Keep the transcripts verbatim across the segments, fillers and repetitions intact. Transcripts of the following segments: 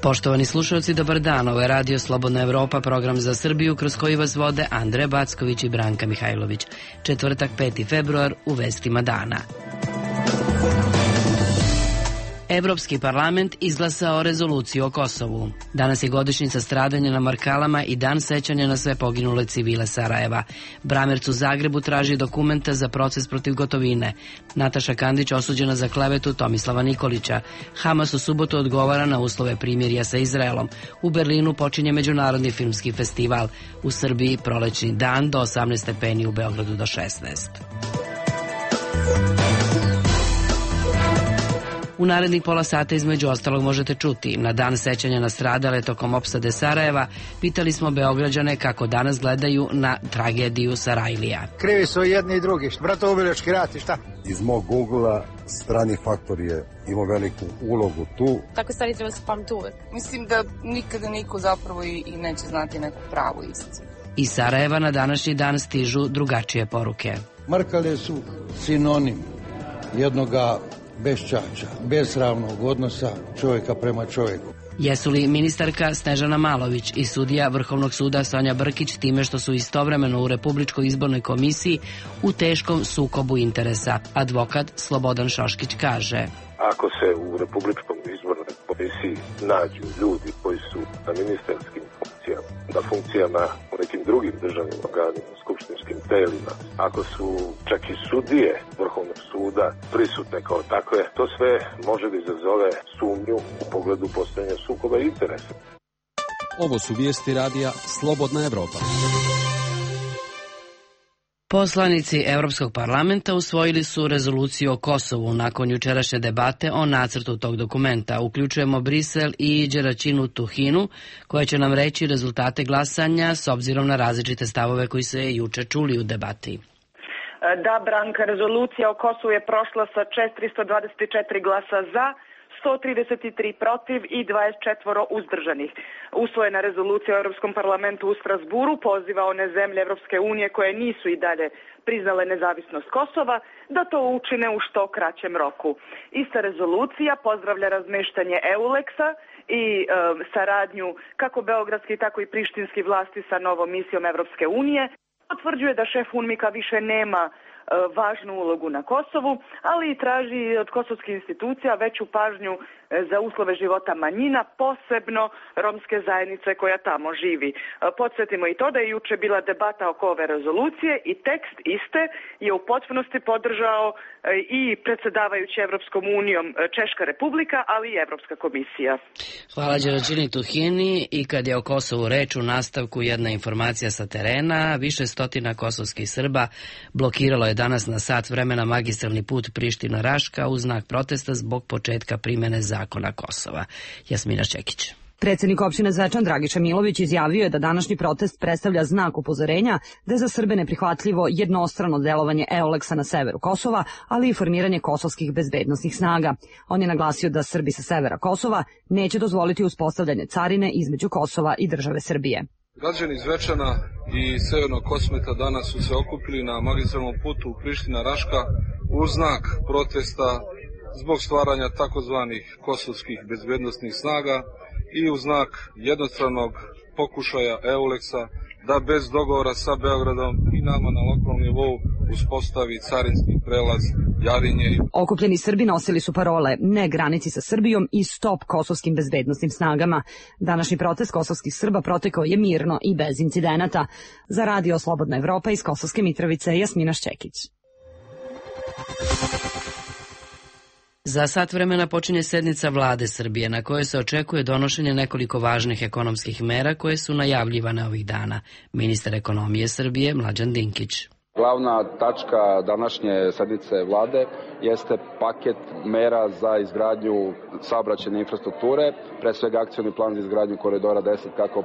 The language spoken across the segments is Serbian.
Poštovani slušalci, dobar dan. Ovo je Radio Slobodna Evropa, program za Srbiju kroz koji vas vode Andreja Backović i Branka Mihajlović. Četvrtak, peti februar, u vestima dana. Evropski parlament izglasao rezoluciju o Kosovu. Danas je godišnjica stradanja na Markalama i dan sećanja na sve poginule civile Sarajeva. Bramerc u Zagrebu traži dokumenta za proces protiv Gotovine. Nataša Kandić osuđena za klevetu Tomislava Nikolića. Hamas u subotu odgovara na uslove primirja sa Izraelom. U Berlinu počinje Međunarodni filmski festival. U Srbiji prolećni dan do osamnaest stepeni, u Beogradu do šesnaest. U narednih pola sata između ostalog možete čuti: na dan sećanja na stradale tokom opsade Sarajeva pitali smo Beograđane kako danas gledaju na tragediju Sarajlija. Krivi su jedni i drugi, bratoubilački rat i šta? Iz mog ugla strani faktor je imao veliku ulogu tu. Takve stvari treba se pamti uvek. Mislim da nikada niko zapravo i, i neće znati neku pravu istinu. Iz Sarajeva na današnji dan stižu drugačije poruke. Markale su sinonim jednoga beščača, besramnog odnosa čovjeka prema čovjeku. Jesu li ministarka Snežana Malović i sudija Vrhovnog suda Sonja Brkić time što su istovremeno u Republičkoj izbornoj komisiji u teškom sukobu interesa? Advokat Slobodan Šoškić kaže: ako se u Republičkom izbornoj komisiji nađu ljudi koji su na ministarskim funkcijama, na funkcijama u nekim drugim državnim organima, skupštinskim telima, ako su čak i sudije Vrhovnog suda prisutne kao takve, to sve može da izazove sumnju u pogledu postojanja sukoba interesa. Ovo su vijesti radija Slobodna Evropa. Poslanici Evropskog parlamenta usvojili su rezoluciju o Kosovu nakon jučerašnje debate o nacrtu tog dokumenta. Uključujemo Brisel i Đeraćinu Tuhinu, koja će nam reći rezultate glasanja s obzirom na različite stavove koji se juče čuli u debati. Da, Branka, rezolucija o Kosovu je prošla sa četiristo dvadeset četiri glasa za, sto trideset tri protiv i dvadeset četiri uzdržanih. Usvojena rezolucija u Europskom parlamentu u Strasburu poziva one zemlje Evropske unije koje nisu i dalje priznale nezavisnost Kosova da to učine u što kraćem roku. Ista rezolucija pozdravlja razmeštanje EULEX-a i e, saradnju kako beogradskih tako i prištinskih vlasti sa novom misijom Evropske unije. Potvrđuje da šef UNMIK-a više nema važnu ulogu na Kosovu, ali i traži od kosovskih institucija veću pažnju za uslove života manjina, posebno romske zajednice koja tamo živi. Podsjetimo i to da je juče bila debata oko ove rezolucije i tekst iste je u potpunosti podržao i predsjedavajući Evropskom unijom Češka republika, ali i Evropska komisija. Hvala Đeraćini Tuhini. I kad je o Kosovu reč, u nastavku jedna informacija sa terena. Više stotina kosovskih Srba blokiralo je danas na sat vremena magistralni put Priština-Raška u znak protesta zbog početka primjene zakona Kosova. Jasmina Čekić. Predsjednik opštine Zvečan Dragiša Milović izjavio je da današnji protest predstavlja znak upozorenja da je za Srbe neprihvatljivo jednostrano delovanje EULEX-a na severu Kosova, ali i formiranje kosovskih bezbednosnih snaga. On je naglasio da Srbi sa severa Kosova neće dozvoliti uspostavljanje carine između Kosova i države Srbije. Građani Zvečana i Severnog Kosmeta danas su se okupili na magistralnom putu Priština-Raška u znak protesta zbog stvaranja takozvanih kosovskih bezbednosnih snaga i u znak jednostranog pokušaja EULEX-a da bez dogovora sa Beogradom i nama na lokalnom nivou uspostavi carinski prelaz Jarinje. Okupljeni Srbi nosili su parole "Ne granici sa Srbijom" i "Stop kosovskim bezbednosnim snagama". Današnji protest kosovskih Srba protekao je mirno i bez incidenata. Za Radio Slobodna Evropa iz Kosovske Mitrovice, Jasmina Šćekić. Za sat vremena počinje sednica Vlade Srbije na kojoj se očekuje donošenje nekoliko važnih ekonomskih mera koje su najavljivane ovih dana. Ministar ekonomije Srbije Mlađan Dinkić. Glavna tačka današnje sednice vlade jeste paket mera za izgradnju saobraćajne infrastrukture, pre svega akcioni plan za izgradnju koridora deset kako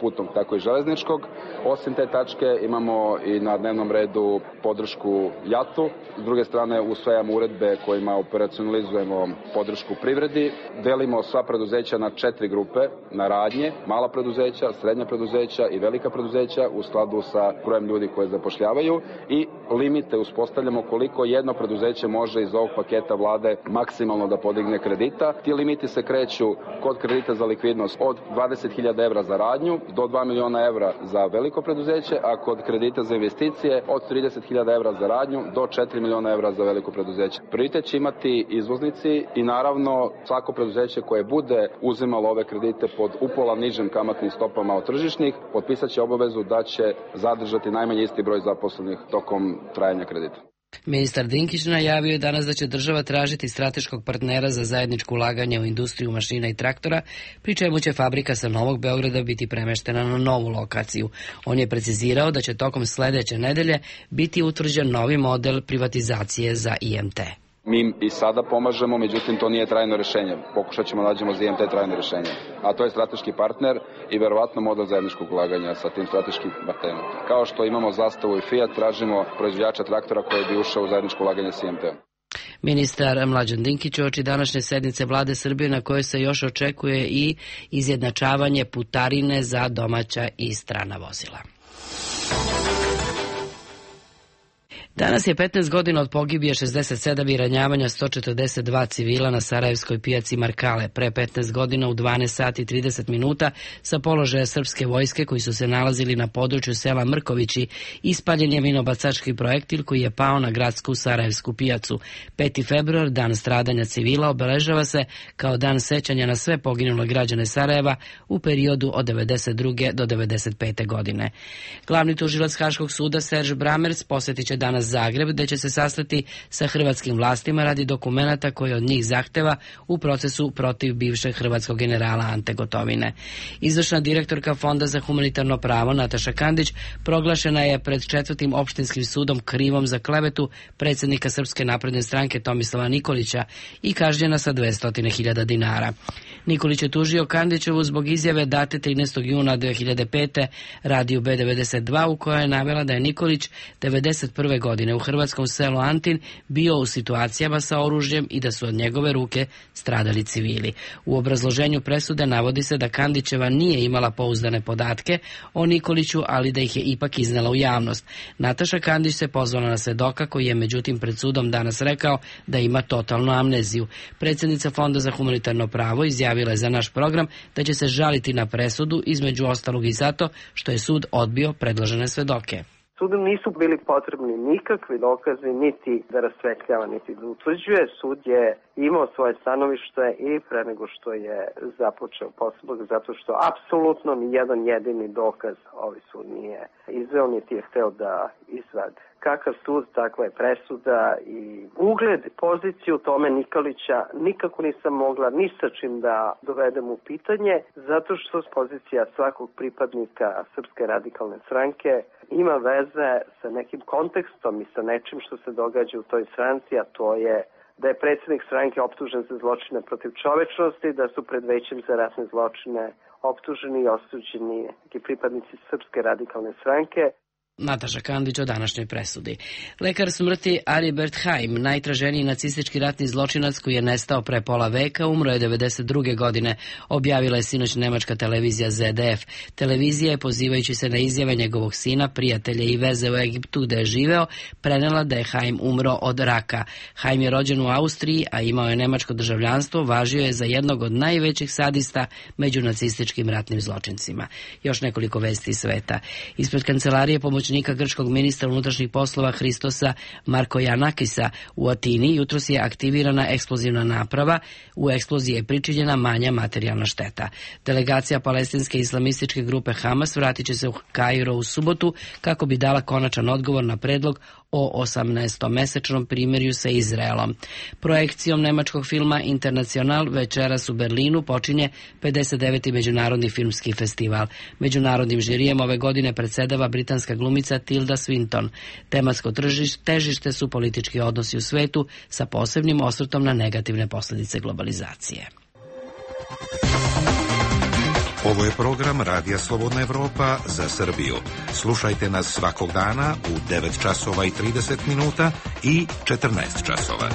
putnog tako i železničkog. Osim te tačke imamo i na dnevnom redu podršku JAT-u. S druge strane usvajamo uredbe kojima operacionalizujemo podršku privredi. Delimo sva preduzeća na četiri grupe, na radnje, mala preduzeća, srednja preduzeća i velika preduzeća u skladu sa brojem ljudi koje zapošljavaju i limite uspostavljamo koliko jedno preduzeće može iz ovog paketa vlade maksimalno da podigne kredita. Ti limiti se kreću kod kredita za likvidnost od dvadeset hiljada evra za radnju do dva miliona evra za veliko preduzeće, a kod kredita za investicije od trideset hiljada evra za radnju do četiri miliona evra za veliko preduzeće. Prioritet će imati izvoznici i naravno svako preduzeće koje bude uzimalo ove kredite pod upola nižim kamatnim stopama od tržišnih, potpisat će obavezu da će zadržati najmanje isti broj zaposlenih tokom trajanja kredita. Ministar Dinkić najavio je danas da će država tražiti strateškog partnera za zajedničko ulaganje u industriju mašina i traktora, pri čemu će fabrika sa Novog Beograda biti premeštena na novu lokaciju. On je precizirao da će tokom sledeće nedelje biti utvrđen novi model privatizacije za I M T. Mi i sada pomažemo, međutim to nije trajno rešenje. Pokušat ćemo da nađemo za I M T trajno rešenje. A to je strateški partner i verovatno model zajedničkog ulaganja sa tim strateškim partnerom. Kao što imamo Zastavu i Fiat, tražimo proizvođača traktora koji bi ušao u zajedničko ulaganje sa I M T-om. Ministar Mlađan Dinkić uoči današnje sednice vlade Srbije na kojoj se još očekuje i izjednačavanje putarine za domaća i strana vozila. Danas je petnaest godina od pogibije šezdeset sedam i ranjavanja sto četrdeset dva civila na sarajevskoj pijaci Markale. Pre petnaest godina u dvanaest sati i trideset minuta sa položaja srpske vojske koji su se nalazili na području sela Mrkovići ispaljen je minobacački projektil koji je pao na gradsku sarajevsku pijacu. peti februar, dan stradanja civila, obeležava se kao dan sećanja na sve poginule građane Sarajeva u periodu od devedeset druge do devedeset pete godine. Glavni tužilac Haškog suda Serž Bramerc posjetit će danas Zagreb, gde će se sastati sa hrvatskim vlastima radi dokumenata koje od njih zahteva u procesu protiv bivšeg hrvatskog generala Ante Gotovine. Izvršna direktorka Fonda za humanitarno pravo Nataša Kandić proglašena je pred četvrtim opštinskim sudom krivom za klevetu predsjednika Srpske napredne stranke Tomislava Nikolića i kažnjena sa dvesta hiljada dinara. Nikolić je tužio Kandićevu zbog izjave date trinaestog juna dve hiljade pete radiju B devedeset dva u kojoj je navela da je Nikolić devedeset prve godine u hrvatskom selu Antin bio u situacijama sa oružjem i da su od njegove ruke stradali civili. U obrazloženju presude navodi se da Kandićeva nije imala pouzdane podatke o Nikoliću, ali da ih je ipak iznela u javnost. Nataša Kandić se pozvala na svedoka koji je međutim pred sudom danas rekao da ima totalnu amneziju. Predsjednica Fonda za humanitarno pravo izjavila je za naš program da će se žaliti na presudu, između ostalog i zato što je sud odbio predložene svedoke. Sudu nisu bili potrebni nikakvi dokazi, niti da rasvetljava, niti da utvrđuje. Sud je imao svoje stanovište i pre nego što je započeo postupak, zato što apsolutno ni jedan jedini dokaz ovaj sud nije izveo, niti je hteo da izvade. Kakav sud, takva je presuda i ugled, poziciju tome Nikolića nikako nisam mogla ni sa čim da dovedem u pitanje, zato što pozicija svakog pripadnika Srpske radikalne stranke ima veze sa nekim kontekstom i sa nečim što se događa u toj stranci, a to je da je predsjednik stranke optužen za zločine protiv čovečnosti, da su pred većem za ratne zločine optuženi i osuđeni neki pripadnici Srpske radikalne stranke. Nataša Kandić o današnjoj presudi. Lekar smrti Aribert Haim, najtraženiji nacistički ratni zločinac koji je nestao pre pola veka, umro je devedeset druge godine, objavila je sinoć nemačka televizija Z D F. Televizija je, pozivajući se na izjave njegovog sina, prijatelja i veze u Egiptu gde je živeo, prenela da je Haim umro od raka. Haim je rođen u Austriji, a imao je nemačko državljanstvo, važio je za jednog od najvećih sadista među nacističkim ratnim zločincima. Još nekoliko vesti iz sveta. Ispred kancelarije pomoć grčkog ministra unutrašnjih poslova Hristosa Markojanakisa u Atini jutros je aktivirana eksplozivna naprava. U eksploziji je pričinjena manja materijalna šteta. Delegacija palestinske islamističke grupe Hamas vratit će se u Kairo u subotu kako bi dala konačan odgovor na predlog o osamnaestomesečnom primirju sa Izraelom. Projekcijom nemačkog filma Internacional večeras u Berlinu počinje pedeset deveti međunarodni filmski festival. Međunarodnim žirijem ove godine predsedava britanska glumica Tilda Swinton. Tematsko težište su politički odnosi u svetu sa posebnim osvrtom na negativne posljedice globalizacije. Ovo je program Radija Slobodna Evropa za Srbiju. Slušajte nas svakog dana u devet časova i trideset minuta i četrnaest časova.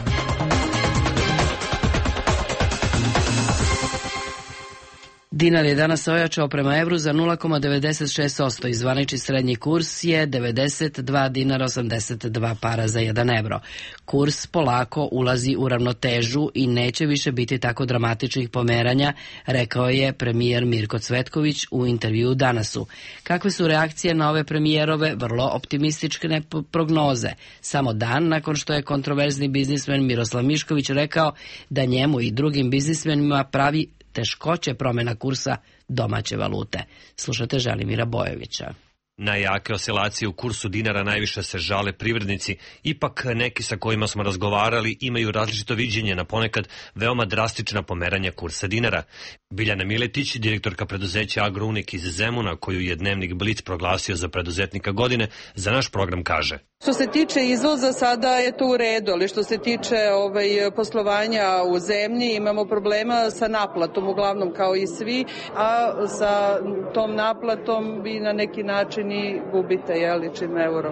Dinar je danas ojačao prema evru za nula zarez devedeset šest posto i zvanični srednji kurs je devedeset dva dinara osamdeset dva para za jedan evro. Kurs polako ulazi u ravnotežu i neće više biti tako dramatičnih pomeranja, rekao je premijer Mirko Cvetković u intervjuu Danasu. Kakve su reakcije na ove premijerove vrlo optimistične prognoze? Samo dan nakon što je kontroverzni biznismen Miroslav Mišković rekao da njemu i drugim biznismenima pravi teškoće promjena kursa domaće valute. Slušate Želimira Bojovića. Na jake oscilacije u kursu dinara najviše se žale privrednici, ipak neki sa kojima smo razgovarali imaju različito viđenje na ponekad veoma drastična pomeranja kursa dinara. Biljana Miletić, direktorka preduzeća Agrounik iz Zemuna, koju je dnevnik Blic proglasio za preduzetnika godine, za naš program kaže: Što se tiče izvoza, sada je to u redu, ali što se tiče ovaj, poslovanja u zemlji, imamo problema sa naplatom, uglavnom kao i svi, a sa tom naplatom vi na neki način i gubite, jeli, čim euro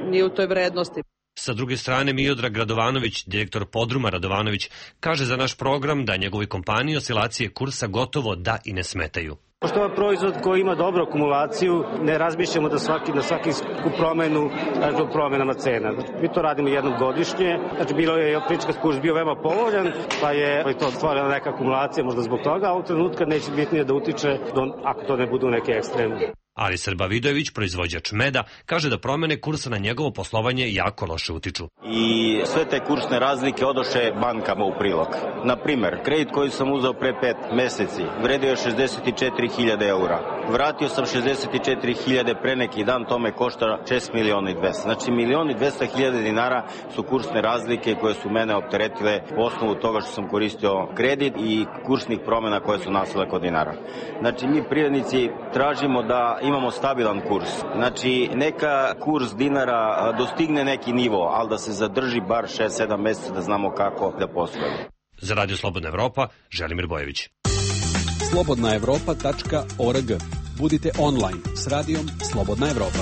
nije u toj vrednosti. Sa druge strane, Miodrag Radovanović, direktor Podruma Radovanović, kaže za naš program da njegovi kompaniji oscilacije kursa gotovo da i ne smetaju. Pošto je proizvod koji ima dobru akumulaciju, ne razmišljamo da svaki, na svaki promenu, znači promjenama cena. Mi to radimo jednom godišnje, znači bilo je prička kurs bio veoma povoljan, pa je to stvorila neka akumulacija možda zbog toga, a ovog trenutka neće bitnije da utiče, ako to ne budu neke ekstremne. Ali Srba Vidojević, proizvođač meda, kaže da promene kursa na njegovo poslovanje jako loše utiču. I sve te kursne razlike odoše bankama u prilog. Na primer, kredit koji sam uzeo pre pet meseci vredio je šezdeset četiri hiljade eura. Vratio sam šezdeset četiri hiljade pre neki dan, to me košta šest miliona i dvesta. Znači milion i dvesta hiljada dinara su kursne razlike koje su mene opteretile po osnovu toga što sam koristio kredit i kursnih promjena koje su nastale kod dinara. Znači mi privrednici tražimo da imamo stabilan kurs. Znači, neka kurs dinara dostigne neki nivo, ali da se zadrži bar šest sedam mjeseca da znamo kako da poslujemo. Za Radio Slobodna Evropa, Želimir Bojović. slobodna evropa tačka org. Budite online s radijom Slobodna Evropa.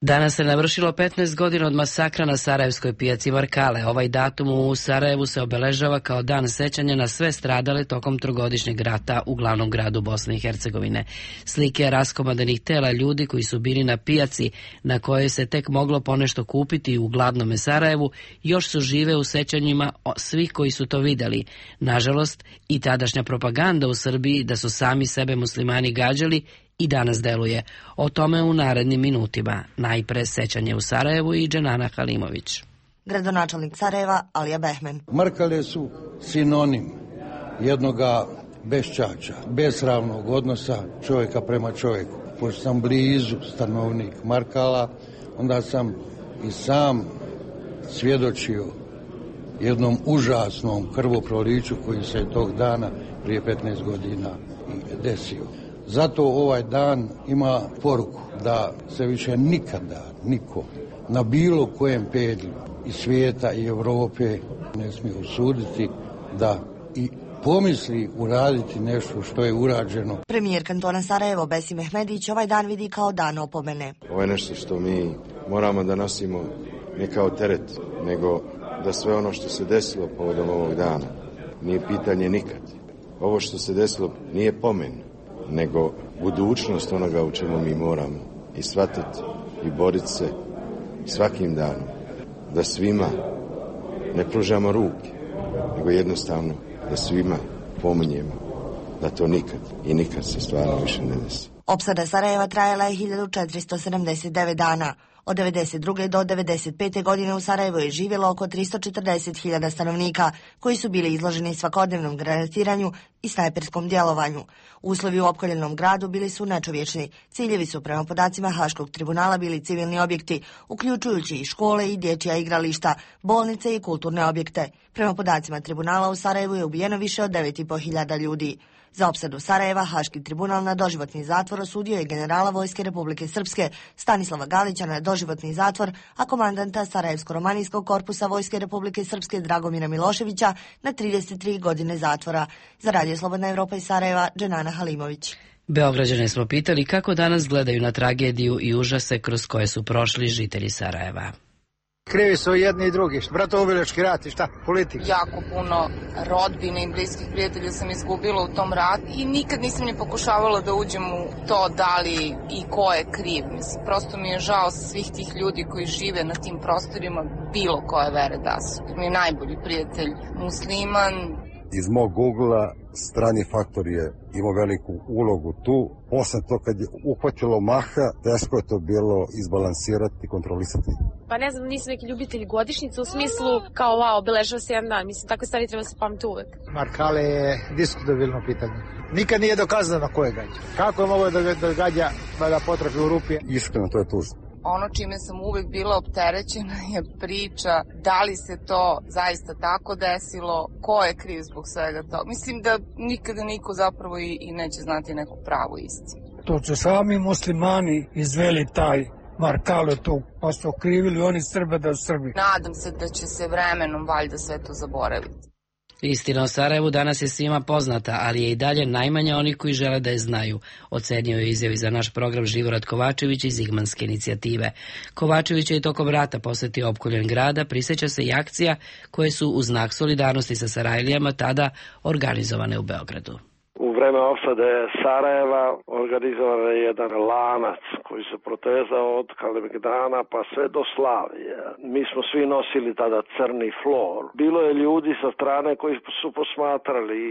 Danas se navršilo petnaest godina od masakra na sarajevskoj pijaci Markale. Ovaj datum u Sarajevu se obeležava kao dan sećanja na sve stradale tokom trogodišnjeg rata u glavnom gradu Bosne i Hercegovine. Slike raskomadenih tela ljudi koji su bili na pijaci na kojoj se tek moglo ponešto kupiti u gladnome Sarajevu još su žive u sećanjima svih koji su to videli. Nažalost, i tadašnja propaganda u Srbiji da su sami sebe muslimani gađali i danas deluje. O tome u narednim minutima. Najpre sećanje u Sarajevu i Dženana Halimović. Gradonačelnik Sarajeva, Alija Behmen. Markale su sinonim jednoga beščača, besravnog odnosa čovjeka prema čovjeku. Pošto sam blizu stanovnik Markala, onda sam i sam svjedočio jednom užasnom krvoproliću koji se tog dana prije petnaest godina i desio. Zato ovaj dan ima poruku da se više nikada niko na bilo kojem pedlju i svijeta i Europe ne smije usuditi da i pomisli uraditi nešto što je urađeno. Premijer kantona Sarajevo Besim Mehmedić ovaj dan vidi kao dan opomene. Ovo je nešto što mi moramo da nosimo ne kao teret, nego da sve ono što se desilo povodom ovog dana nije pitanje nikad. Ovo što se desilo nije pomen, nego budućnost onoga u čemu mi moramo i shvatiti i boriti se svakim danom, da svima ne pružamo ruke, nego jednostavno da svima pominjemo da to nikad i nikad se stvarno više ne desi. Opsada Sarajeva trajala je hiljadu četiristo sedamdeset devet dana. Od devedeset druge do devedeset pete godine u Sarajevu je živjelo oko tristo četrdeset hiljada stanovnika koji su bili izloženi svakodnevnom granatiranju i snajperskom djelovanju. Uslovi u opkoljenom gradu bili su nečovječni. Ciljevi su prema podacima Haškog tribunala bili civilni objekti, uključujući i škole i dječja igrališta, bolnice i kulturne objekte. Prema podacima tribunala u Sarajevu je ubijeno više od devet i po hiljada ljudi. Za opsadu Sarajeva Haški tribunal na doživotni zatvor osudio je generala Vojske Republike Srpske Stanislava Galića na doživotni zatvor, a komandanta Sarajevsko-romanijskog korpusa Vojske Republike Srpske Dragomira Miloševića na trideset tri godine zatvora. Za Radio Slobodna Evropa iz Sarajeva, Dženana Halimović. Beograđane smo pitali kako danas gledaju na tragediju i užase kroz koje su prošli žitelji Sarajeva. Krivi su jedni i drugi. Bratoubilački rat i šta? Politika. Jako puno rodbine i bliskih prijatelja sam izgubila u tom ratu i nikad nisam ni pokušavala da uđem u to da li i ko je kriv. Mislim, prosto mi je žao svih tih ljudi koji žive na tim prostorima bilo koje vere da su. Mi je najbolji prijatelj musliman. Iz mog Google-a strani faktor je imao veliku ulogu tu. Posle to kad je uhvatilo maha, teško je to bilo izbalansirati i kontrolisati. Pa ne znam, nisam neki ljubitelj godišnjica u smislu kao wow, obeležava se jedan dan. Mislim, takve stvari treba se pamti uvek. Markale je diskutabilno pitanje. Nikad nije dokazano ko je gađa. Kako je mogo da, da gađa, da ga potrafi u rupi? Iskreno, to je tužno. Ono čime sam uvek bila opterećena je priča da li se to zaista tako desilo, ko je kriv zbog svega toga. Mislim da nikada niko zapravo i, i neće znati neku pravu istinu. To su sami muslimani izveli taj Markale tu, pa su okrivili oni Srbe da su Srbi. Nadam se da će se vremenom valjda sve to zaboraviti. Istina o Sarajevu danas je svima poznata, ali je i dalje najmanje onih koji žele da je znaju, ocenio je izjavi za naš program Živorad Kovačević iz Zigmanske inicijative. Kovačević je i tokom rata posetio opkoljen grada, prisjeća se i akcija koje su u znak solidarnosti sa Sarajlijama tada organizovane u Beogradu. U vreme opsade Sarajeva organizovan je jedan lanac koji se protezao od Kalemegdana pa sve do Slavije. Mi smo svi nosili tada crni flor. Bilo je ljudi sa strane koji su posmatrali.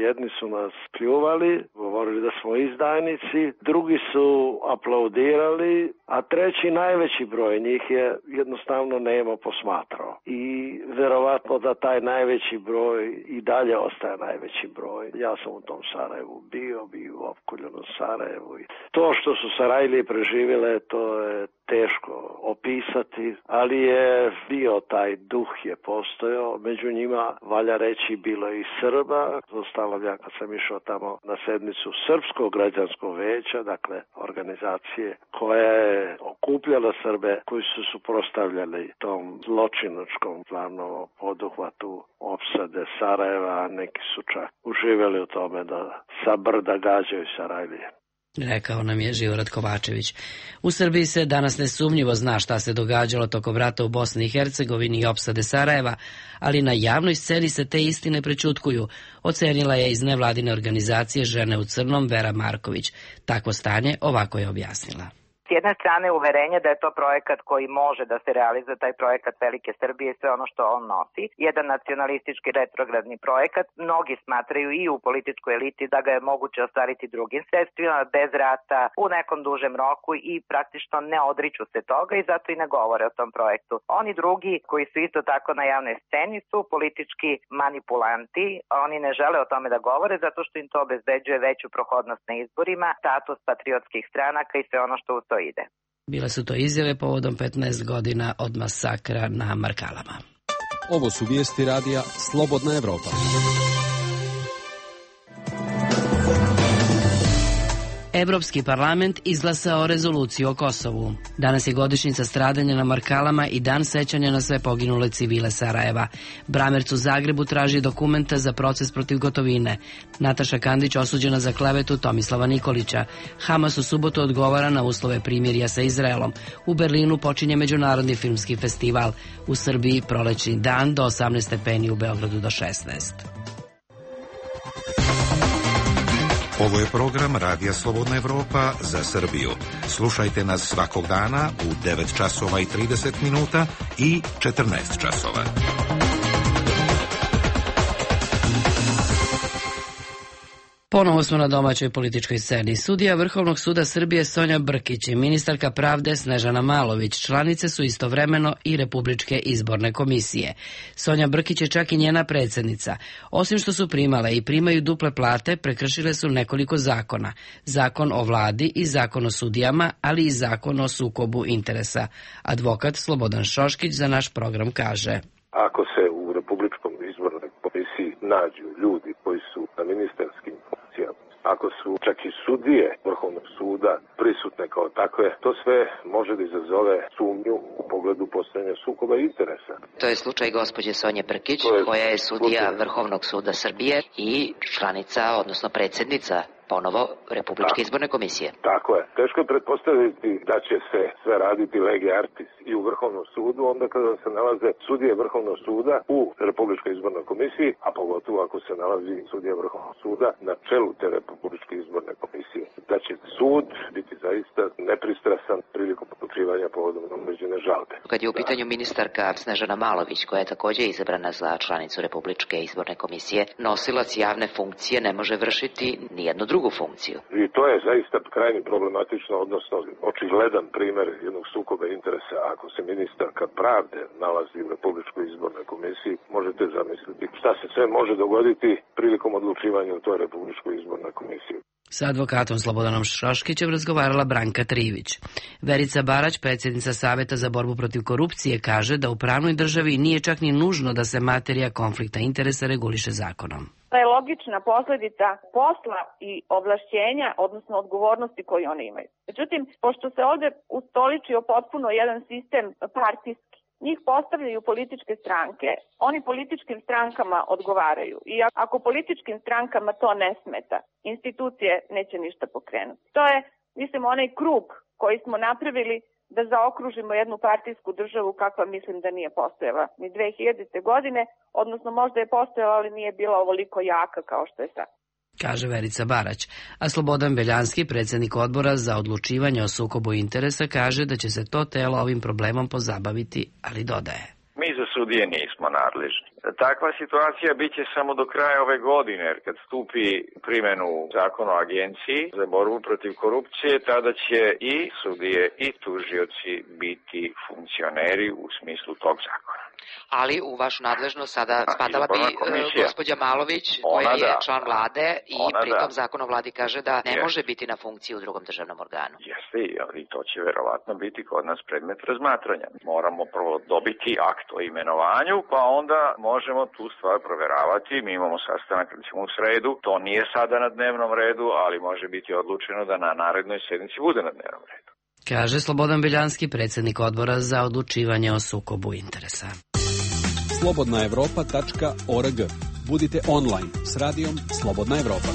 Jedni su nas pljuvali, govorili da smo izdajnici, drugi su aplaudirali, a treći najveći broj njih je jednostavno nemo posmatrao. I verovatno da taj najveći broj i dalje ostaje najveći broj. Ja sam u tom Sarajevu bio, bio u opkoljenom Sarajevu. To što su Sarajlije preživjele, to je teško opisati, ali je bio taj duh je postojao. Među njima, valja reći, bilo je i Srba. Zostalo ja kad sam išao tamo na sednicu Srpskog građanskog veća, dakle organizacije koja je okupljala Srbe koji su suprotstavljali tom zločinačkom glavnom poduhvatu opsade Sarajeva, a neki su čak uživjeli u tome da sa brda gađaju Sarajlije. Rekao nam je Živorad Kovačević. U Srbiji se danas nesumnjivo zna šta se događalo tokom rata u Bosni i Hercegovini i opsade Sarajeva, ali na javnoj sceni se te istine prećutkuju, ocenila je iz nevladine organizacije Žene u crnom Vera Marković. Takvo stanje ovako je objasnila. S jedne strane uverenje da je to projekat koji može da se realizuje, taj projekat Velike Srbije i sve ono što on nosi. Jedan nacionalistički retrogradni projekat. Mnogi smatraju i u političkoj eliti da ga je moguće ostvariti drugim sredstvima, bez rata, u nekom dužem roku i praktično ne odriču se toga i zato i ne govore o tom projektu. Oni drugi koji su isto tako na javnoj sceni su politički manipulanti. Oni ne žele o tome da govore zato što im to obezbeđuje veću prohodnost na izborima, status patriotskih stranaka i sve ono što u to ide. Bile su to izjave povodom petnaest godina od masakra na Markalama. Ovo su vijesti radija Slobodna Evropa. Evropski parlament izglasao rezoluciju o Kosovu. Danas je godišnjica stradanja na Markalama i dan sećanja na sve poginule civile Sarajeva. Bramerc u Zagrebu traži dokumenta za proces protiv Gotovine. Nataša Kandić osuđena za klevetu Tomislava Nikolića. Hamas u subotu odgovara na uslove primirja sa Izraelom. U Berlinu počinje Međunarodni filmski festival. U Srbiji prolećni dan do osamnaest stepeni, u Beogradu do šesnaest. Ovo je program Radija Slobodna Evropa za Srbiju. Slušajte nas svakog dana u devet časova i trideset minuta i četrnaest časova. Ponovo smo na domaćoj političkoj sceni. Sudija Vrhovnog suda Srbije Sonja Brkić i ministarka pravde Snežana Malović članice su istovremeno i Republičke izborne komisije. Sonja Brkić je čak i njena predsjednica. Osim što su primale i primaju duple plate, prekršile su nekoliko zakona. Zakon o vladi i zakon o sudijama, ali i zakon o sukobu interesa. Advokat Slobodan Šoškić za naš program kaže: Ako se u Republičkom izbornoj komisiji nađu ljudi koji su na ministarskim funkcijama, ako su čak i sudije Vrhovnog suda prisutne kao takve, to sve može da izazove sumnju u pogledu postojanja sukoba interesa. To je slučaj gospođe Sonje Brkić, koja je sudija Vrhovnog suda Srbije i članica, odnosno predsjednica ponovo Republičke izborne komisije. Tako je. Teško je pretpostaviti da će se sve raditi lege artis i u Vrhovnom sudu, onda kada se nalaze sudije Vrhovnog suda u Republičkoj izbornoj komisiji, a pogotovo ako se nalazi sudija Vrhovnog suda na čelu te Republičke izborne komisije. Da će sud biti zaista nepristrasan prilikom odlučivanja povodom određene žalbe. Kad je u pitanju ministarka Snežana Malović, koja je takođe izabrana za članicu Republičke izborne komisije, nosilac javne funkcije ne može vršiti ni jednu drugu funkciju. I to je zaista krajnje problematično, odnosno očigledan primer jednog sukoba interesa. Ako se ministarka pravde nalazi u Republičkoj izbornoj komisiji, možete zamisliti šta se sve može dogoditi prilikom odlučivanja u toj Republičkoj izbornoj komisiji. Sa advokatom Slobodanom Šoškićem razgovarala Branka Trivić. Verica Barać, predsjednica Saveta za borbu protiv korupcije, kaže da u pravnoj državi nije čak ni nužno da se materija konflikta interesa reguliše zakonom. To je logična posledica posla i ovlašćenja, odnosno odgovornosti koje oni imaju. Međutim, pošto se ovde ustoličio potpuno jedan sistem partijski, njih postavljaju političke stranke, oni političkim strankama odgovaraju. I ako političkim strankama to ne smeta, institucije neće ništa pokrenuti. To je, mislim, onaj krug koji smo napravili da zaokružimo jednu partijsku državu kakva mislim da nije postojala ni dve hiljadite. godine, odnosno možda je postojala, ali nije bila ovoliko jaka kao što je sad. Kaže Verica Barać, a Slobodan Beljanski, predsjednik odbora za odlučivanje o sukobu interesa, kaže da će se to telo ovim problemom pozabaviti, ali dodaje. Mi za sudije nismo nadležni. Takva situacija bit će samo do kraja ove godine, jer kad stupi primjenu zakona o agenciji za borbu protiv korupcije, tada će i sudije i tužioci biti funkcioneri u smislu tog zakona. Ali u vašu nadležnost sada spadala bi gospođa Malović, koja je član vlade i pritom zakon o vladi kaže da ne može biti na funkciji u drugom državnom organu. Jeste, i to će verovatno biti kod nas predmet razmatranja. Moramo prvo dobiti akt o imenovanju, pa onda možemo tu stvar proveravati. Mi imamo sastanak recimo u sredu, to nije sada na dnevnom redu, ali može biti odlučeno da na narednoj sednici bude na dnevnom redu. Kaže Slobodan Beljanski, predsjednik odbora za odlučivanje o sukobu interesa. slobodna evropa tačka org. Budite online s radijom Slobodna Evropa.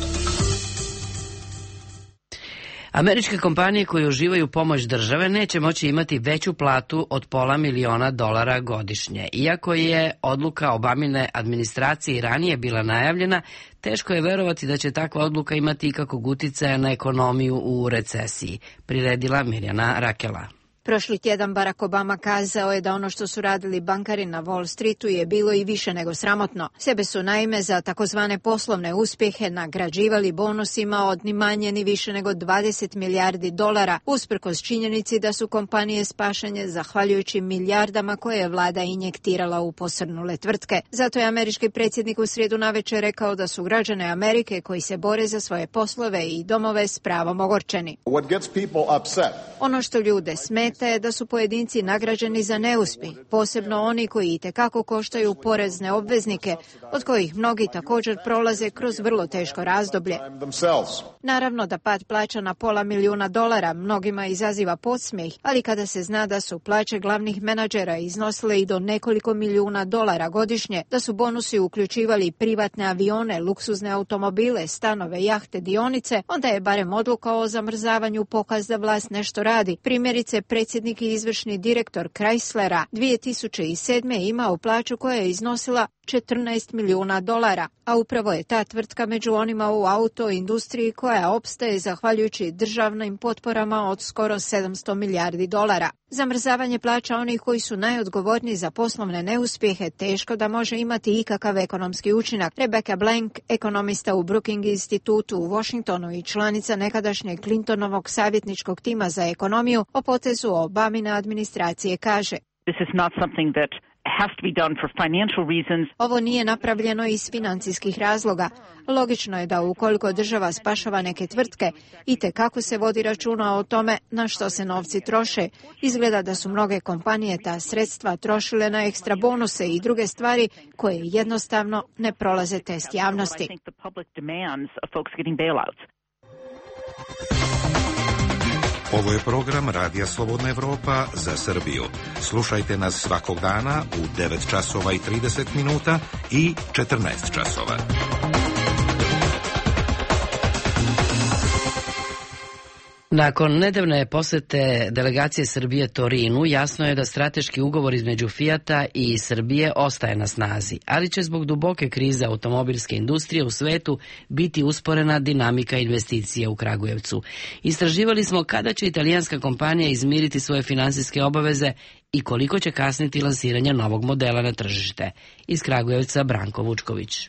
Američke kompanije koje uživaju pomoć države neće moći imati veću platu od pola miliona dolara godišnje. Iako je odluka Obamine administracije ranije bila najavljena, teško je verovati da će takva odluka imati ikakvog uticaja na ekonomiju u recesiji, priredila Mirjana Rakela. Prošli tjedan Barack Obama kazao je da ono što su radili bankari na Wall Streetu je bilo i više nego sramotno. Sebe su naime za takozvane poslovne uspjehe nagrađivali bonusima od ni manje ni više nego dvadeset milijardi dolara, usprkos činjenici da su kompanije spašene zahvaljujući milijardama koje je vlada injektirala u posrnule tvrtke. Zato je američki predsjednik u srijedu navečer rekao da su građane Amerike koji se bore za svoje poslove i domove s pravom ogorčeni. Ono što ljude smeta je da su pojedinci nagrađeni za neuspjeh, posebno oni koji itekako koštaju porezne obveznike, od kojih mnogi također prolaze kroz vrlo teško razdoblje. Naravno da pad plaća na pola milijuna dolara mnogima izaziva podsmijeh, ali kada se zna da su plaće glavnih menadžera iznosile i do nekoliko milijuna dolara godišnje, da su bonusi uključivali privatne avione, luksuzne automobile, stanove, jahte, dionice, onda je barem odluka o zamrzavanju pokaz da vlast nešto radi. Primjerice, predsjednik i izvršni direktor Chryslera dvije tisuće sedme imao plaću koja je iznosila četrnaest milijuna dolara, a upravo je ta tvrtka među onima u autoindustriji koja opstaje zahvaljujući državnim potporama od skoro sedamsto milijardi dolara. Zamrzavanje plaća onih koji su najodgovorniji za poslovne neuspjehe teško da može imati ikakav ekonomski učinak. Rebecca Blank, ekonomista u Brookings institutu u Washingtonu i članica nekadašnjeg Clintonovog savjetničkog tima za ekonomiju, o potezu Obamine administracije kaže: This is not something that has to be done for financial reasons. Ovo nije napravljeno iz financijskih razloga. Logično je da ukoliko država spašava neke tvrtke, itekako se vodi računa o tome na što se novci troše. Izgleda da su mnoge kompanije ta sredstva trošile na ekstra bonuse i druge stvari koje jednostavno ne prolaze test javnosti. Ovo je program Radija Slobodna Evropa za Srbiju. Slušajte nas svakog dana u devet časova i trideset minuta i četrnaest časova. Nakon nedavne posete delegacije Srbije Torinu, jasno je da strateški ugovor između Fijata i Srbije ostaje na snazi, ali će zbog duboke krize automobilske industrije u svetu biti usporena dinamika investicije u Kragujevcu. Istraživali smo kada će italijanska kompanija izmiriti svoje finansijske obaveze i koliko će kasniti lansiranje novog modela na tržište. Iz Kragujevca Branko Vučković.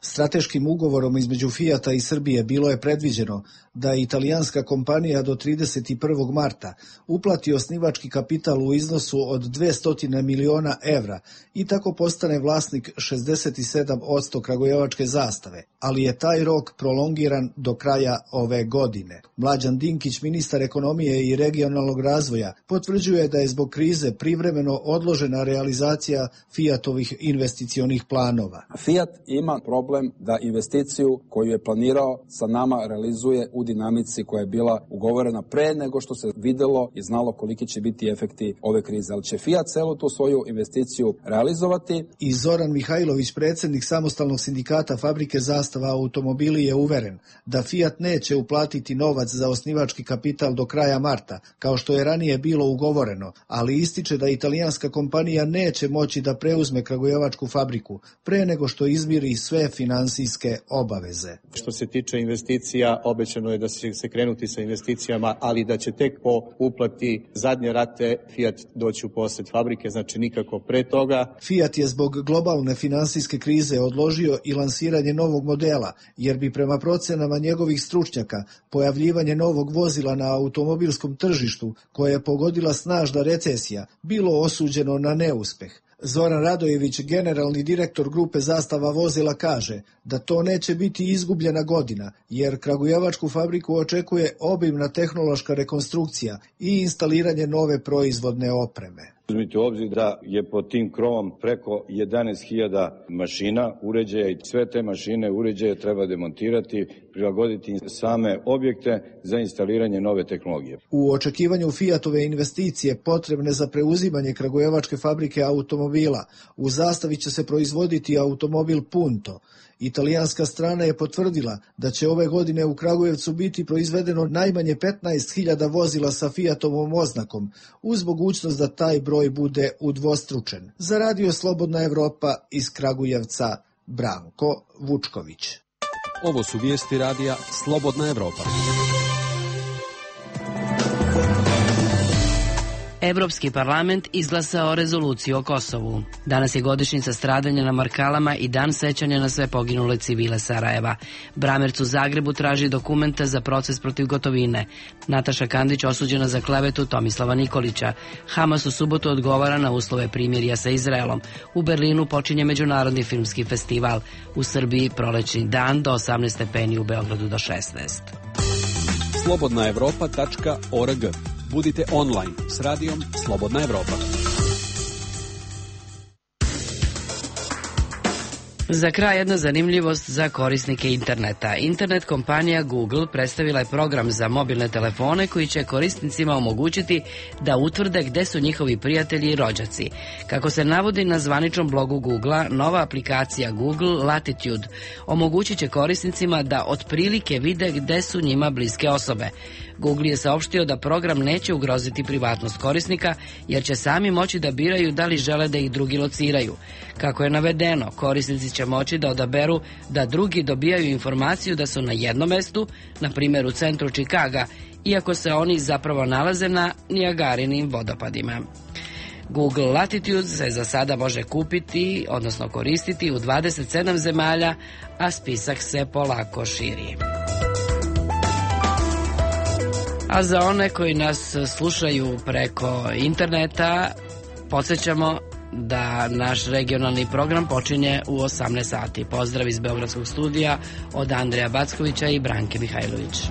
Strateškim ugovorom između Fijata i Srbije bilo je predviđeno da italijanska kompanija do trideset prvog marta uplati osnivački kapital u iznosu od dvesta miliona evra i tako postane vlasnik šezdeset sedam posto kragujevačke zastave, ali je taj rok prolongiran do kraja ove godine. Mlađan Dinkić, ministar ekonomije i regionalnog razvoja, potvrđuje da je zbog krize privremeno odložena realizacija Fijatovih investicionih planova. Fijat ima problem da investiciju koju je planirao sa nama realizuje u dinamici koja je bila ugovorena pre nego što se videlo i znalo koliki će biti efekti ove krize. Ali će Fijat celu tu svoju investiciju realizovati. I Zoran Mihajlović, predsjednik samostalnog sindikata fabrike Zastava automobili, je uveren da Fijat neće uplatiti novac za osnivački kapital do kraja marta, kao što je ranije bilo ugovoreno, ali ističe da italijanska kompanija neće moći da preuzme kragujevačku fabriku pre nego što izmiri sve finansijske obaveze. Što se tiče investicija, obećano je da će se krenuti sa investicijama, ali da će tek po uplati zadnje rate Fijat doći u posjed fabrike, znači nikako pre toga. Fijat je zbog globalne finansijske krize odložio i lansiranje novog modela, jer bi prema procenama njegovih stručnjaka pojavljivanje novog vozila na automobilskom tržištu, koje je pogodila snažna recesija, bilo osuđeno na neuspeh. Zoran Radojević, generalni direktor grupe Zastava vozila, kaže da to neće biti izgubljena godina, jer kragujevačku fabriku očekuje obimna tehnološka rekonstrukcija i instaliranje nove proizvodne opreme. Uzmite u obzir da je pod tim krovom preko jedanaest hiljada mašina, uređaja, i sve te mašine, uređaje treba demontirati, prilagoditi same objekte za instaliranje nove tehnologije. U očekivanju Fijatove investicije potrebne za preuzimanje kragujevačke fabrike automobila, u Zastavi će se proizvoditi automobil Punto. Italijanska strana je potvrdila da će ove godine u Kragujevcu biti proizvedeno najmanje petnaest hiljada vozila sa Fijatovom oznakom, uz mogućnost da taj broj bude udvostručen. Za Radio Slobodna Evropa iz Kragujevca, Branko Vučković. Ovo su vijesti radija Slobodna Evropa. Evropski parlament izglasao rezoluciju o Kosovu. Danas je godišnjica stradanja na Markalama i dan sećanja na sve poginule civile Sarajeva. Bramerc u Zagrebu traži dokumenta za proces protiv Gotovine. Nataša Kandić osuđena za klevetu Tomislava Nikolića. Hamas u subotu odgovara na uslove primirja sa Izraelom. U Berlinu počinje Međunarodni filmski festival. U Srbiji prolećni dan do osamnaest stepeni, u Beogradu do šesnaest. slobodna evropa tačka org. Budite online s radijom Slobodna Evropa. Za kraj jedna zanimljivost za korisnike interneta. Internet kompanija Google predstavila je program za mobilne telefone koji će korisnicima omogućiti da utvrde gde su njihovi prijatelji i rođaci. Kako se navodi na zvaničnom blogu Googlea, nova aplikacija Google Latitude omogućit će korisnicima da otprilike vide gde su njima bliske osobe. Google je saopštio da program neće ugroziti privatnost korisnika, jer će sami moći da biraju da li žele da ih drugi lociraju. Kako je navedeno, korisnici će moći da odaberu da drugi dobijaju informaciju da su na jednom mestu, na primjer u centru Čikaga, iako se oni zapravo nalaze na Nijagarinim vodopadima. Google Latitude se za sada može kupiti, odnosno koristiti u dvadeset sedam zemalja, a spisak se polako širi. A za one koji nas slušaju preko interneta, podsjećamo da naš regionalni program počinje u osamnaest sati. Pozdrav iz Beogradskog studija od Andreja Backovića i Branke Mihajlović.